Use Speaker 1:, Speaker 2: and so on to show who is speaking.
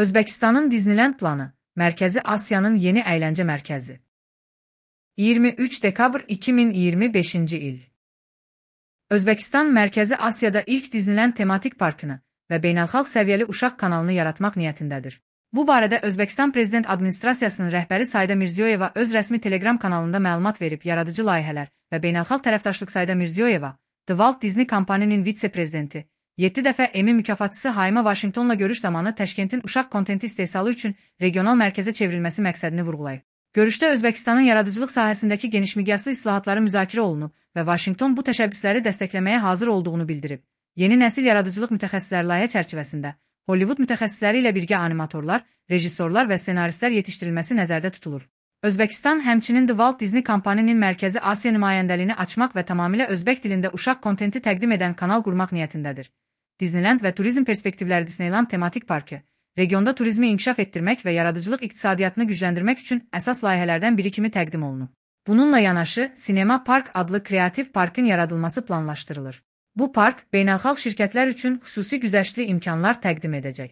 Speaker 1: Özbəkistanın Disneyland planı, Mərkəzi Asiyanın yeni əyləncə mərkəzi. 23 dekabr 2025-ci il. Özbəkistan Mərkəzi Asiyada ilk Disneyland tematik parkını və beynəlxalq səviyyəli uşaq kanalını yaratmaq niyyətindədir. Bu barədə Özbəkistan Prezident Administrasiyasının rəhbəri Sayda Mirziyoyeva öz rəsmi Telegram kanalında məlumat verib. Yaradıcı layihələr və beynəlxalq tərəfdaşlıq Sayda Mirziyoyeva, The Walt Disney Company'nin vitse-prezidenti, 7 dəfə Emmy mükafatçısı Hayma Washingtonla görüş zamanı Təşkentin uşaq kontenti istehsalı üçün regional mərkəzə çevrilməsi məqsədini vurğulayıb. Görüşdə Özbəkistanın yaradıcılıq sahəsindəki genişmiqyaslı islahatları müzakirə olunub və Washington bu təşəbbüsləri dəstəkləməyə hazır olduğunu bildirib. Yeni nəsil yaradıcılıq mütəxəssisləri layihə çərçivəsində Hollywood mütəxəssisləri ilə birgə animatorlar, rejissorlar və ssenaristlər yetişdirilməsi nəzərdə tutulur. Özbəkistan həmçinin The Walt Disney Company'nin Mərkəzi Asiya nümayəndəliyini açmaq və tamamilə özbək dilində uşaq kontenti təqdim edən kanal qurmaq niyyətindədir. Disneyland və turizm perspektivləri Disneyland tematik parkı, regionda turizmi inkişaf etdirmək və yaradıcılıq iqtisadiyyatını gücləndirmək üçün əsas layihələrdən biri kimi təqdim olunub. Bununla yanaşı, Sinema Park adlı kreativ parkın yaradılması planlaşdırılır. Bu park, beynəlxalq şirkətlər üçün xüsusi güzəştli imkanlar təqdim edəcək.